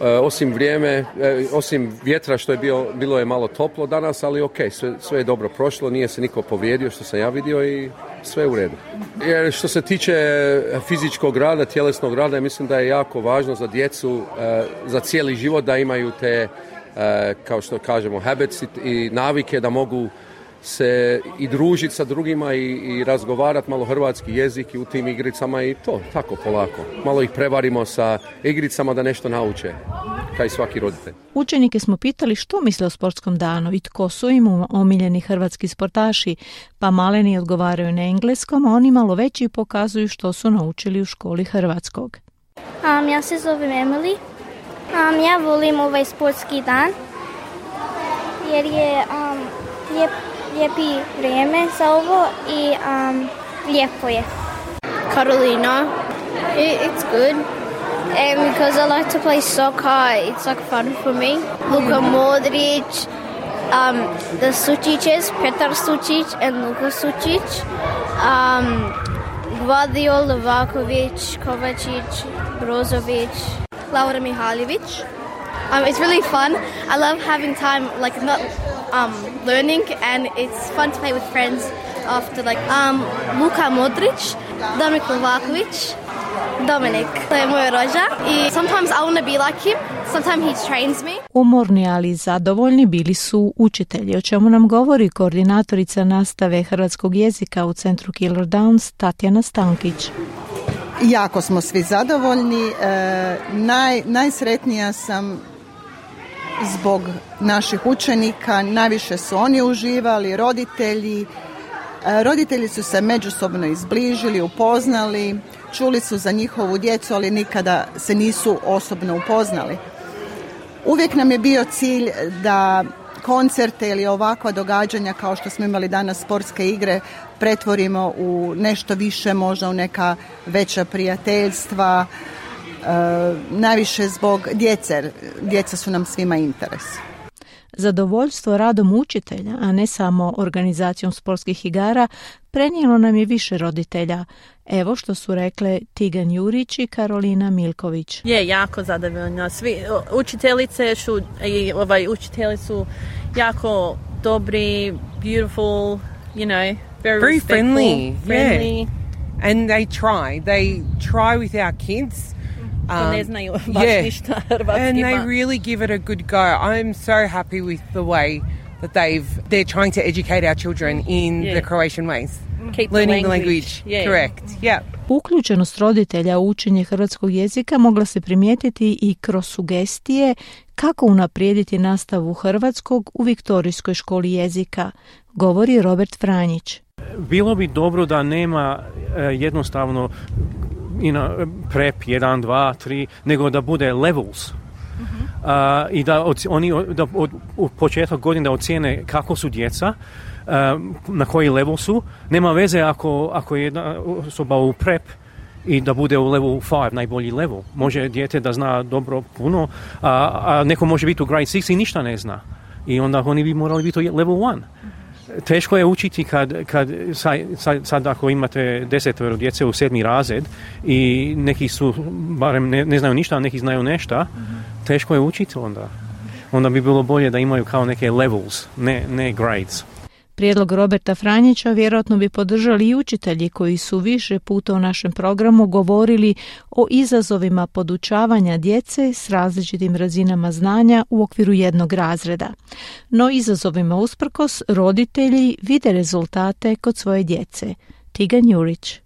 e, osim vrijeme, e, osim vjetra što je bio, bilo je malo toplo danas, ali ok, sve, sve je dobro prošlo, nije se niko povrijedio što sam ja vidio i sve je u redu. Jer što se tiče fizičkog rada, tjelesnog rada, mislim da je jako važno za djecu, e, za cijeli život da imaju te, e, kao što kažemo, habits i navike da mogu se i družiti sa drugima i, i razgovarati malo hrvatski jezik i u tim igricama i to, tako polako. Malo ih prevarimo sa igricama da nešto nauče, kao i svaki roditelj. Učenike smo pitali što misle o sportskom danu i tko su im omiljeni hrvatski sportaši, pa maleni odgovaraju na engleskom, a oni malo veći pokazuju što su naučili u školi hrvatskog. Um, ja se zovem Emily. Um, ja volim ovaj sportski dan jer je um, lijep lijepi vrijeme za ovo i um, lijepo je. Carolina. It, it's good. And because I like to play soccer, it's like fun for me. Luka Modric, um, the Sučićes, Petar Sučić and Luka Sučić, um, Gvardiol, Novaković, Kovačić, Brozović, Laura Mihaljević. Um, it's really fun. I love having time, like not um, learning, and it's fun to play with friends after, like um, Luka Modric, Dominik Novaković, Dominic. To je moj rođak i sometimes I want to be like him, sometimes he trains me. Umorni, ali zadovoljni bili su učitelji, o čemu nam govori koordinatorica nastave hrvatskog jezika u centru Killer Downs, Tatjana Stankić. Jako smo svi zadovoljni. E, naj, najsretnija sam zbog naših učenika. Najviše su oni uživali, roditelji. E, roditelji su se međusobno izbližili, upoznali, čuli su za njihovu djecu, ali nikada se nisu osobno upoznali. Uvijek nam je bio cilj da koncerte ili ovakva događanja kao što smo imali danas, sportske igre, pretvorimo u nešto više, možda u neka veća prijateljstva, e, najviše zbog djece. Djeca su nam svima interes. Zadovoljstvo radom učitelja, a ne samo organizacijom sportskih igara, prenijelo nam je više roditelja. Evo što su rekle Tigan Jurić i Karolina Milković. Je, jako zadovoljna. Svi učiteljice su, i ovaj, učitelji su jako dobri, beautiful, you know, very, very friendly. friendly. Yeah. And they try. They try with our kids. Um, ne znaju baš yeah. ništa hrvatski. And they really give it a good go. I'm so happy with the way that they've they're trying to educate our children in Yeah. the Croatian ways. Keep the Learning the language. language. Yeah. Correct. Yeah. Uključenost roditelja u učenje hrvatskog jezika mogla se primijetiti i kroz sugestije kako unaprijediti nastavu hrvatskog u Viktorijskoj školi jezika, govori Robert Franjić. Bilo bi dobro da nema uh, jednostavno you know, prep jedan, dva, tri, nego da bude levels. Uh, i da od, oni da od, od početka godine da ocijene kako su djeca, uh, na koji level su. Nema veze ako, ako je jedna osoba u prep i da bude u level five, najbolji level. Može dijete da zna dobro puno, a, a neko može biti u grade six i ništa ne zna. I onda oni bi morali biti u level one. Teško je učiti kad, kad sad, sad ako imate desetoro djece u sedmi razred i neki su, barem ne, ne znaju ništa, a neki znaju nešto, teško je učiti onda. Onda bi bilo bolje da imaju kao neke levels, ne, ne grades. Prijedlog Roberta Franjića vjerojatno bi podržali i učitelji koji su više puta u našem programu govorili o izazovima podučavanja djece s različitim razinama znanja u okviru jednog razreda. No izazovima usprkos roditelji vide rezultate kod svoje djece. Tigan Jurić.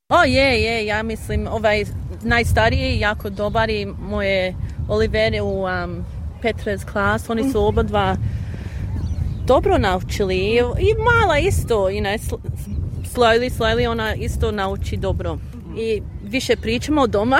O je, je, ja mislim ovaj najstariji jako dobar i moje Olivere u um, Petra's klas, oni su oba dva dobro naučili i mala isto, you know, slowly, slowly ona isto nauči dobro. I više pričamo doma.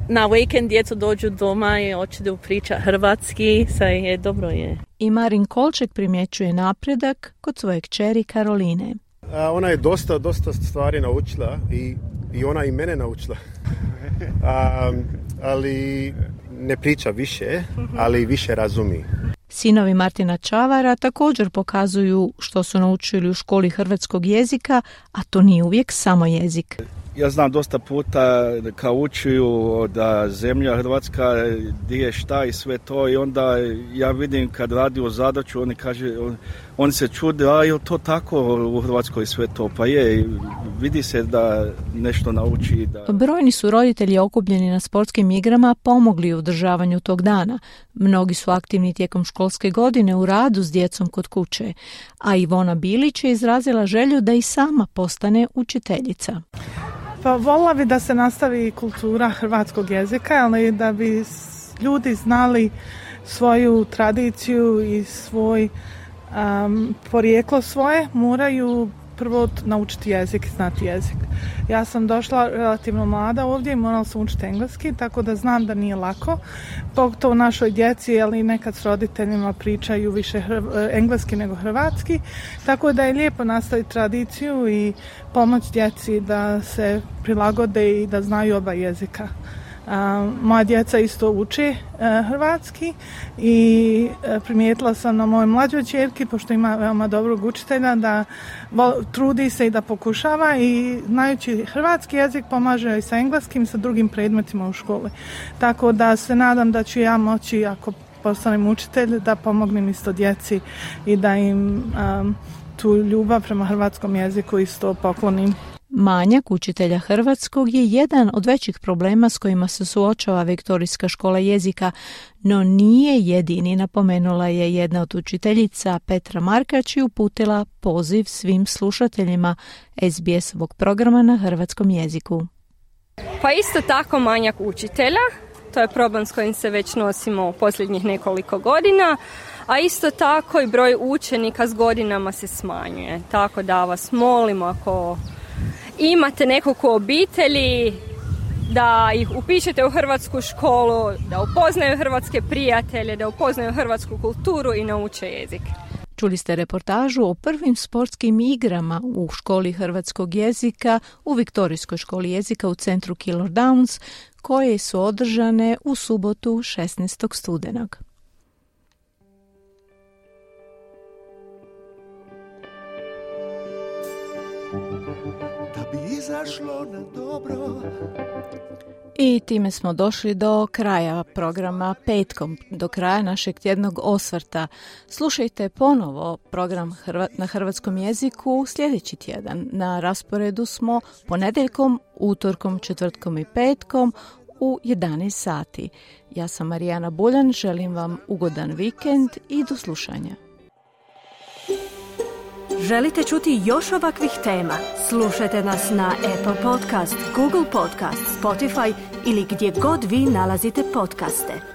Na vikend djeca dođu doma i hoće da priča hrvatski, sve je dobro je. I Marin Kolček primjećuje napredak kod svoje kćeri Karoline. A, ona je dosta, dosta stvari naučila i, i ona i mene naučila. A, ali ne priča više, ali više razumi. Sinovi Martina Čavara također pokazuju što su naučili u školi hrvatskog jezika, a to nije uvijek samo jezik. Ja znam dosta puta kao učuju da zemlja Hrvatska gdje je šta i sve to i onda ja vidim kad radi o zadaću, oni kaže, on, oni se čude, a je to tako u Hrvatskoj sve to? Pa je, vidi se da nešto nauči. Da... Brojni su roditelji okupljeni na sportskim igrama pomogli u održavanju tog dana. Mnogi su aktivni tijekom školske godine u radu s djecom kod kuće, a Ivona Bilić je izrazila želju da i sama postane učiteljica. Pa volila bi da se nastavi kultura hrvatskog jezika, ali da bi ljudi znali svoju tradiciju i svoj um, porijeklo svoje, moraju prvo naučiti jezik i znati jezik. Ja sam došla relativno mlada ovdje i morala sam učiti engleski, tako da znam da nije lako. Pogotovo našoj djeci, ali nekad s roditeljima pričaju više hrv, engleski nego hrvatski. Tako da je lijepo nastaviti tradiciju i pomoći djeci da se prilagode i da znaju oba jezika. Uh, moja djeca isto uče uh, hrvatski i uh, primijetila sam na mojoj mlađoj ćerki, pošto ima veoma dobrog učitelja, da vo, trudi se i da pokušava i znajući hrvatski jezik pomaže i sa engleskim i sa drugim predmetima u školi. Tako da se nadam da ću ja moći, ako postanem učitelj, da pomognem isto djeci i da im um, tu ljubav prema hrvatskom jeziku isto poklonim. Manjak učitelja hrvatskog je jedan od većih problema s kojima se suočava Viktorijska škola jezika, no nije jedini, napomenula je jedna od učiteljica Petra Markač i uputila poziv svim slušateljima S B S-ovog programa na hrvatskom jeziku. Pa isto tako manjak učitelja, to je problem s kojim se već nosimo posljednjih nekoliko godina, a isto tako i broj učenika s godinama se smanjuje, tako da vas molimo ako imate nekog u obitelji, da ih upišete u hrvatsku školu, da upoznaju hrvatske prijatelje, da upoznaju hrvatsku kulturu i nauče jezik. Čuli ste reportažu o prvim sportskim igrama u školi hrvatskog jezika u Viktorijskoj školi jezika u centru Keilor Downs, koje su održane u subotu šesnaestog studenog. Izašlo na dobro. I time smo došli do kraja programa Petkom, do kraja našeg tjednog osvrta. Slušajte ponovo program Hrva- na hrvatskom jeziku sljedeći tjedan. Na rasporedu smo ponedjeljkom, utorkom, četvrtkom i petkom u jedanaest sati. Ja sam Marijana Buljan, želim vam ugodan vikend i do slušanja. Želite čuti još ovakvih tema? Slušajte nas na Apple Podcast, Google Podcast, Spotify ili gdje god vi nalazite podcaste.